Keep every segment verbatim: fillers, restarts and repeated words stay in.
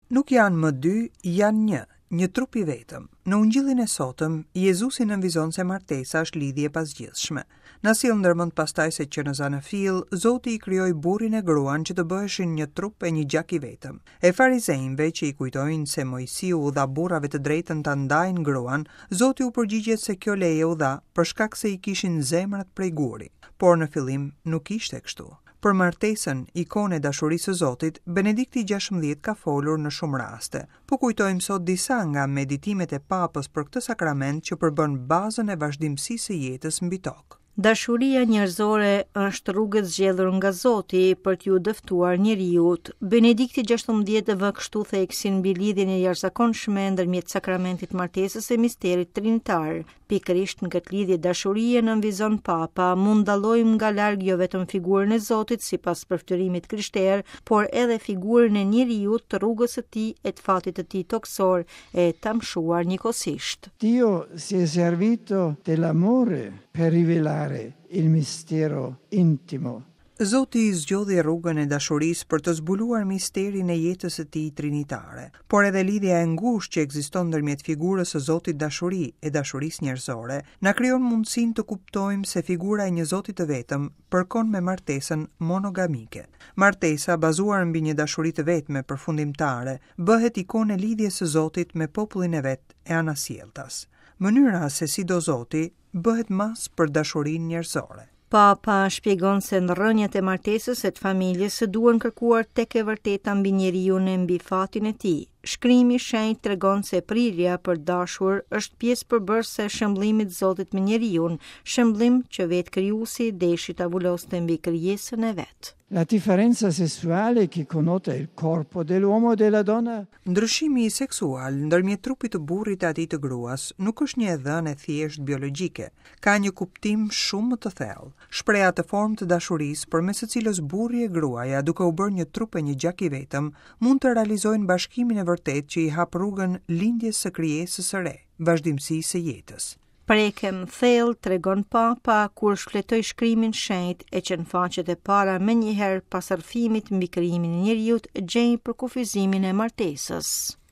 Nuk janë më dy, janë një, një trup i vetëm. Në ungjillin e sotëm, Jezusi nënvizon se martesa është lidhje e pazgjidhshme. Na sjell ndërmend pastaj se që në zanafillë, Zoti i krijoi burrin e gruan që të bëheshin një trup e një gjak i vetëm. E farizejve që i kujtojnë se Moisiu u dha burrave të drejtën ta ndajnë gruan, Zoti u përgjigjet se kjo leje u dha për shkak se i kishin zemrat prej guri. Por në fillim nuk ishte kështu. Për martesën, ikonë e dashurisë së Zotit, Benedikti gjashtëmbëdhjetë ka folur në shumë raste. Po kujtojmë sot disa nga meditimet e Papës për këtë sakrament që përbën bazën e vazhdimësisë së jetës mbi tokë. Dashuria njerëzore është rrugë e zgjedhur nga Zoti për t'ju dëftuar njeriut. Benedikti gjashtëmbëdhjetë vë kështu theksin mbi lidhjen e jashtëzakonshme ndërmjet sakramentit martesës e misterit trinitar. Pikërisht në këtë lidhje dashurie nënvizon Papa, mund dallojmë nga larg jo vetëm figurën e Zotit sipas përftyrimit krishter, por edhe figurën e njeriut të rrugës së tij e të fatit të tij tokësor e tamshuar njëkohësisht. Dio si è servito dell'amore per rivelare il mistero intimo. Zoti zgjodhi rrugën e dashurisë për të zbuluar misterin e jetës së tij trinitare, por edhe lidhja e ngushtë që ekziston ndërmjet figurës së Zotit dashuri e dashurisë njerëzore, na krijon mundësinë të kuptojmë se figura e një Zoti të vetëm përkon me martesën monogamike. Martesa, bazuar mbi një dashuri të vetme përfundimtare, bëhet ikonë e lidhjes së Zotit me popullin e vet e anasjelltas. Mënyra se si do Zoti bëhet mas për dashurinë njerëzore. Papa shpjegon se në rrënjët e martesës e të familjes së duhen kërkuar tek e vërteta mbi njeriun e mbi fatin e tij. Shkrimi i shenjtë tregon se prirja për dashur është pjesë përbërëse e shëmblimit Zotit me njeriun, shëmblim që vetë krijuesi deshi ta vuloste mbi krijesën e vet. La differenza sessuale che connota il corpo dell'uomo e della donna. Ndryshimi seksual ndërmjet trupit të burrit e atij të gruas nuk është një e dhënë e thjeshtë biologjike, ka një kuptim shumë më të thellë. Shpreh atë formë të dashurisë përmes së cilës burri e gruaja, duke u bërë një trup e një gjak i vetëm, mund të realizojnë bashkimin e vërtetë që i hap rrugën lindjes së krijesës së re, vazhdimësisë së jetës. Prekem thellë, tregon Papa, kur shfletoi shkrimin shenjt e që në faqet e para menjëherë pas rrëfimit mbi krijimin e njeriut gjej përkufizimin e martesës.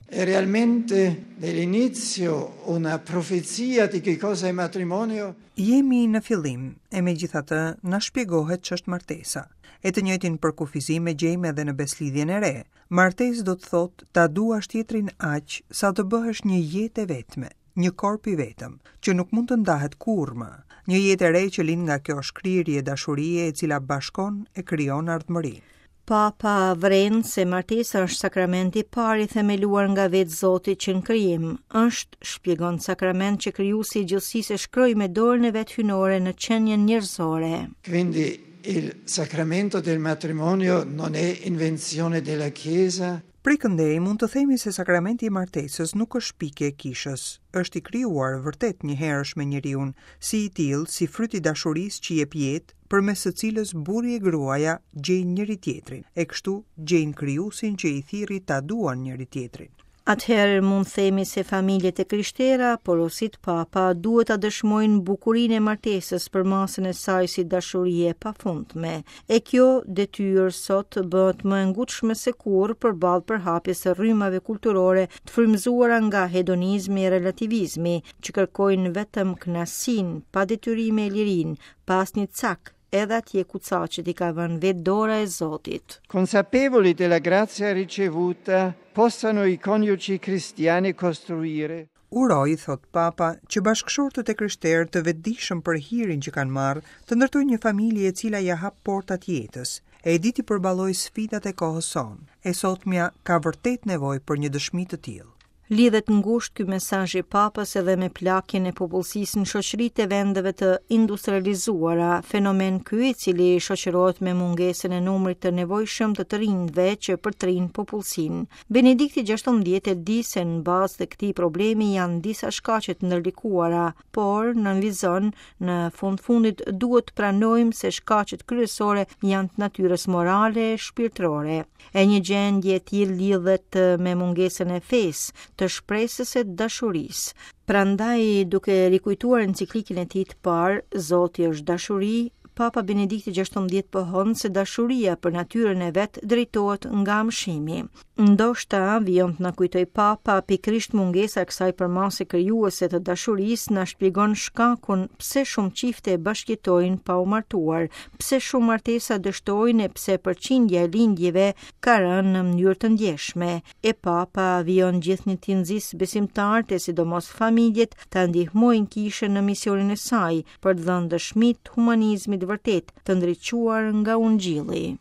È realmente nell'inizio una profezia di che cosa è matrimonio? Jemi në fillim, e megjithatë na shpjegohet ç'është martesa. E të njëjtin përkufizim e gjejmë edhe në beslidhjen e re. Martesë do të thotë ta duash tjetrin aq sa të bëhesh një jetë e vetme, një korp i vetëm, që nuk mund të ndahet kurrë më. Një jetë e re që lind nga kjo shkrirje dashurie e cila bashkon e krijon ardhmërinë. Papa vren se martesa është sakramenti i parë i themeluar nga vetë Zoti që në krijim. Është, shpjegon, sakrament që krijuesi i gjithësisë e shkroi me dorën e vet hyjnore në qenien njerëzore. Quindi il sacramento del matrimonio non è invenzione della Chiesa. Prej këndej mund të themi se sakramenti i martesës nuk është shpikje e kishës, është i krijuar vërtet njëherësh me njeriun, si i tillë, si fryt i dashurisë që jep jetë, përmes së cilës burri e gruaja gjejnë njëri tjetrin, e kështu gjejnë krijuesin që i thirri ta duan njëri tjetrin. Atëherë mund themi se familjet e krishtera, porosit Papa, duhet ta dëshmojnë bukurinë e martesës për masën e saj si dashurie e pafundme. E kjo detyrë sot bëhet më e ngutshme se kurrë përballë përhapjes së rrymave kulturore të frymëzuara nga hedonizmi e relativizmi, që kërkojnë vetëm kënaqësinë, pa detyrime e lirinë, pa asnjë cak, edhe atje ku caqet i ka vënë vetë dora e Zotit. Consapevoli della grazia ricevuta, possano i coniugi cristiani costruire. Uroj, thot Papa, që bashkëshortët e krishterë të vetëdijshëm për hirin që kanë marrë, të ndërtojnë një familje e cila ja hap portat jetës, e di t'i përballojë sfidat e kohës sonë. E sotmja ka vërtet nevojë për një dëshmi të tillë. Lidhet ngushtë ky mesazh i Papës edhe me plakjen e popullsisë në shoqëritë e vendeve të industrializuara, fenomen ky i cili shoqërohet me mungesën e numrit të nevojshëm të të rinjve që përtrin popullsinë. Benedikti gjashtëmbëdhjetë e di se në bazë të këtij problemi janë disa shkaqe të ndërlikuara, por nënvizon në fund fundit duhet të pranojmë se shkaqet kryesore janë të natyrës morale e shpirtërore. E një gjendje e tillë lidhet me mungesën e fesë, të shpresës e dashurisë. Prandaj, duke rikujtuar enciklikën e tij të parë, Zoti është dashuri, Papa Benedikti gjashtëmbëdhjetë pohon se dashuria për natyrën e vet drejtohet nga amshimi. Ndoshta, vijon të na kujtojë Papa, pikërisht mungesa e kësaj përmase krijuese të dashurisë na shpjegon shkakun pse shumë çifte bashkëjetojnë pa u martuar, pse shumë martesa dështojnë e pse përqindja e lindjeve ka rënë në mënyrë të ndjeshme. E Papa vijon gjithnjë t'i nxisë besimtarët e sidomos familjet ta ndihmojnë kishën në misionin e saj për të dhënë dëshmi të humanizmit vërtet të ndriçuar nga Ungjilli.